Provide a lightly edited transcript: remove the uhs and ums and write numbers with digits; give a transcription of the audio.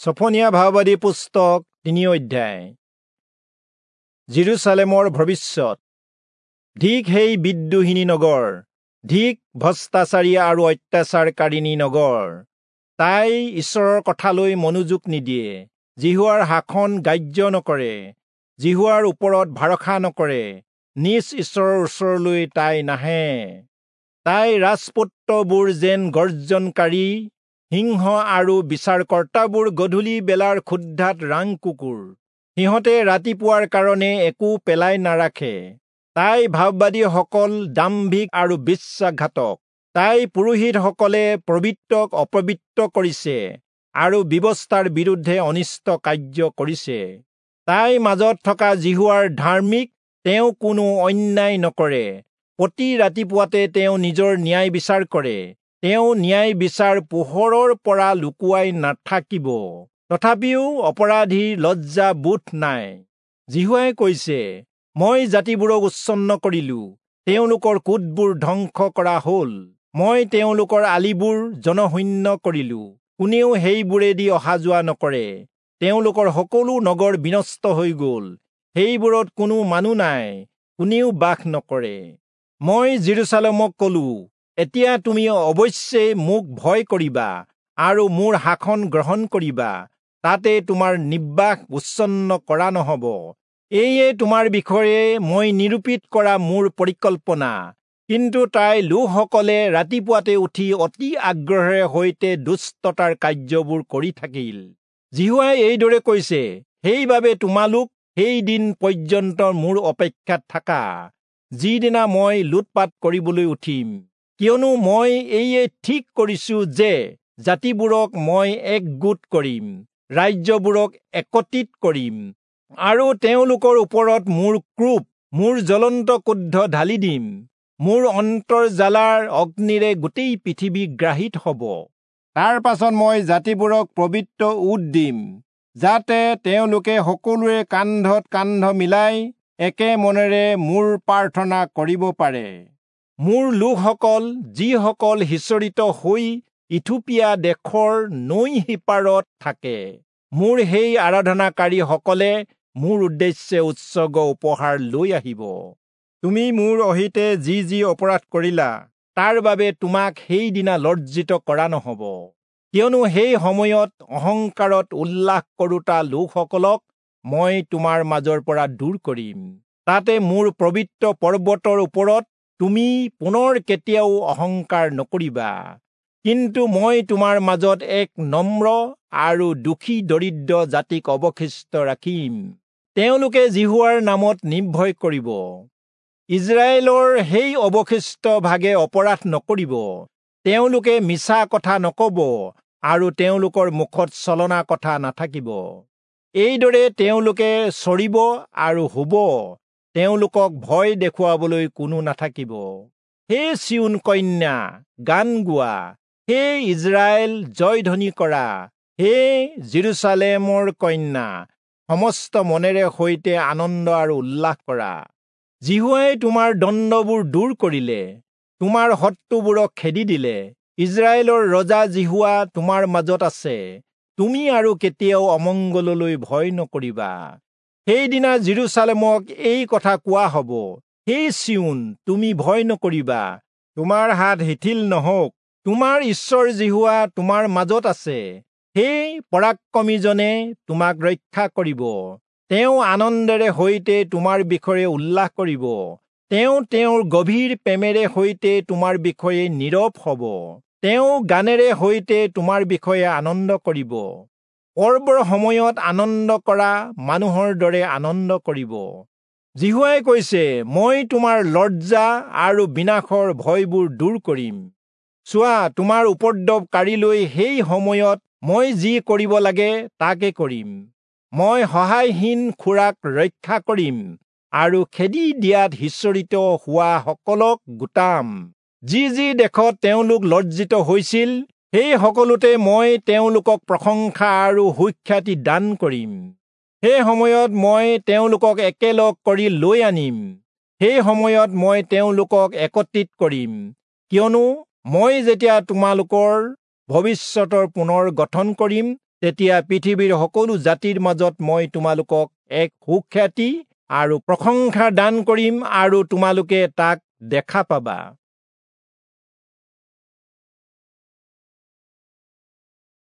ছফনীয়া ভাৱবাদী পুস্তক 3 অধ্যায়। যিৰূচালেমৰ ভৱিষ্যত। ধিক সেই বিদ্ৰোহিনী নগৰ, ধিক ভ্ৰষ্টাচাৰী আৰু অত্যাচাৰকাৰিণী নগৰ। তাই ঈশ্বৰৰ কথালৈ মনোযোগ নিদিয়ে, যিহোৱাৰ শাসন গ্ৰাহ্য নকৰে, যিহোৱাৰ ওপৰত ভৰসা নকৰে, নিজ ঈশ্বৰৰ ওচৰলৈ তাই নাহে। তাই ৰাজপুত্ৰবোৰ যেন গৰ্জনকাৰী সিংহ আৰু বিচাৰকৰ্তাবোৰ গধূলি বেলাৰ ক্ষুধাত ৰাং কুকুৰ। সিহঁতে ৰাতিপুৱাৰ কাৰণে একো পেলাই নাৰাখে। তাই ভাৱবাদীসকল দাম্ভিক আৰু বিশ্বাসঘাতক। তাই পুৰোহিতসকলে পবিত্ৰক অপবিত্ৰ কৰিছে আৰু ব্যৱস্থাৰ বিৰুদ্ধে অনিষ্ট কাৰ্য কৰিছে। তাইৰ মাজত থকা যিহোৱাৰ ধাৰ্মিক, তেওঁ কোনো অন্যায় নকৰে। প্ৰতি ৰাতিপুৱাতে তেওঁ নিজৰ ন্যায় বিচাৰ কৰে। তেওঁ ন্যায় বিচাৰ পোহৰৰ পৰা লুকুৱাই নাথাকিব। তথাপিও অপৰাধীৰ লজ্জা বোধ নাই। যিহোৱাই কৈছে, মই জাতিবোৰক উচ্ছন্ন কৰিলো, তেওঁলোকৰ কোটবোৰ ধ্বংস কৰা হ'ল। মই তেওঁলোকৰ আলিবোৰ জনশূন্য কৰিলো, কোনেও সেইবোৰেদি অহা যোৱা নকৰে। তেওঁলোকৰ সকলো নগৰ বিনষ্ট হৈ গ'ল, সেইবোৰত কোনো মানুহ নাই, কোনেও বাস নকৰে। মই যিৰূচালেমক কলো, এতিয়া তুমি অৱশ্যেই মোক ভয় কৰিবা আৰু মোৰ শাসন গ্ৰহণ কৰিবা, তাতে তোমাৰ নিবাস উচ্ছন্ন কৰা নহ'ব। এইয়ে তোমাৰ বিষয়ে মই নিৰূপিত কৰা মোৰ পৰিকল্পনা। কিন্তু তাই লোকসকলে ৰাতিপুৱাতে উঠি অতি আগ্ৰহেৰে সৈতে দুষ্টতাৰ কাৰ্যবোৰ কৰি থাকিল। যিহোৱাই এইদৰে কৈছে, সেইবাবে তোমালোক সেই দিন পৰ্যন্ত মোৰ অপেক্ষাত থাকা, যিদিনা মই লুটপাত কৰিবলৈ উঠিম। কিয়নো মই এইয়ে ঠিক কৰিছো যে জাতিবোৰক মই একগোট কৰিম, ৰাজ্যবোৰক একত্ৰিত কৰিম, আৰু তেওঁলোকৰ ওপৰত মোৰ ক্ৰোধ, মোৰ জ্বলন্ত ক্ৰোধ ঢালি দিম। মোৰ অন্তৰ্জ্বালাৰ অগ্নিৰে গোটেই পৃথিৱী গ্ৰাহিত হ'ব। তাৰ পাছত মই জাতিবোৰক পবিত্ৰ উট দিম, যাতে তেওঁলোকে সকলোৰে কান্ধত কান্ধ মিলাই একে মনেৰে মোৰ প্ৰাৰ্থনা কৰিব পাৰে। মোৰ লোকসকল, যিসকল সিঁচৰিত হৈ ইথিওপিয়া দেশৰ নৈ সিপাৰত থাকে, মোৰ সেই আৰাধনাকাৰীসকলে মোৰ উদ্দেশ্যে উৎসৰ্গ উপহাৰ লৈ আহিব। তুমি মোৰ অহিতে যি যি অপৰাধ কৰিলা, তাৰ বাবে তোমাক সেইদিনা লজ্জিত কৰা নহ'ব। কিয়নো সেই সময়ত অহংকাৰত উল্লাস কৰোঁতা লোকসকলক মই তোমাৰ মাজৰ পৰা দূৰ কৰিম। তাতে মোৰ পবিত্ৰ পৰ্বতৰ ওপৰত তুমি পুনৰ কেতিয়াও অহংকাৰ নকৰিবা। কিন্তু মই তোমাৰ মাজত এক নম্ৰ আৰু দুখী দৰিদ্ৰ জাতিক অৱশিষ্ট ৰাখিম। তেওঁলোকে যিহোৱাৰ নামত নিৰ্ভয় কৰিব। ইজৰাইলৰ সেই অৱশিষ্ট ভাগে অপৰাধ নকৰিব। তেওঁলোকে মিছা কথা নক'ব আৰু তেওঁলোকৰ মুখত ছলনা কথা নাথাকিব। এইদৰে তেওঁলোকে চৰিব আৰু শুব, তেওঁলোকক ভয় দেখুৱাবলৈ কোনো নাথাকিব। হে চিয়োন কন্যা, গান গোৱা। হে ইজৰাইল, জয়ধ্বনি কৰা। হে যিৰূচালেমৰ কন্যা, সমস্ত মনেৰে সৈতে আনন্দ আৰু উল্লাস কৰা। যিহোৱাই তোমাৰ দণ্ডবোৰ দূৰ কৰিলে, তোমাৰ শত্ৰুবোৰক খেদি দিলে। ইজৰাইলৰ ৰজা যিহোৱা তোমাৰ মাজত আছে, তুমি আৰু কেতিয়াও অমংগললৈ ভয় নকৰিবা। সেইদিনা যিৰূচালেমক এই কথা কোৱা হ'ব, হে চিয়োন, তুমি ভয় নকৰিবা, তোমাৰ হাত শিথিল নহওক। তোমাৰ ঈশ্বৰ যিহোৱা তোমাৰ মাজত আছে, সেই পৰাক্ৰমীজনে তোমাক ৰক্ষা কৰিব। তেওঁ আনন্দেৰে সৈতে তোমাৰ বিষয়ে উল্লাস কৰিব। তেওঁ তেওঁৰ গভীৰ প্ৰেমেৰে সৈতে তোমাৰ বিষয়ে নীৰৱ হ'ব। তেওঁ গানেৰে সৈতে তোমাৰ বিষয়ে আনন্দ কৰিব। পৰ্বৰ সময়ত আনন্দ কৰা মানুহৰ দৰে আনন্দ কৰিব। যিহোৱাই কৈছে, মই তোমাৰ লজ্জা আৰু বিনাশৰ ভয়বোৰ দূৰ কৰিম। চোৱা, তোমাৰ উপদ্ৰৱকাৰীলৈ সেই সময়ত মই যি কৰিব লাগে তাকে কৰিম। মই সহায়হীন খুৰাক ৰক্ষা কৰিম আৰু খেদি দিয়াত সিঁচৰিত হোৱা সকলক গোটাম। যি যি দেশত তেওঁলোক লজ্জিত হৈছিল, সেই সকলোতে মই তেওঁলোকক প্ৰশংসা আৰু সুখ্যাতি দান কৰিম। সেই সময়ত মই তেওঁলোকক একেলগ কৰি লৈ আনিম। সেই সময়ত মই তেওঁলোকক একত্ৰিত কৰিম। কিয়নো মই যেতিয়া তোমালোকৰ ভৱিষ্যতৰ পুনৰ গঠন কৰিম, তেতিয়া পৃথিৱীৰ সকলো জাতিৰ মাজত মই তোমালোকক এক সুখ্যাতি আৰু প্ৰশংসা দান কৰিম আৰু তোমালোকে তাক দেখা পাবা।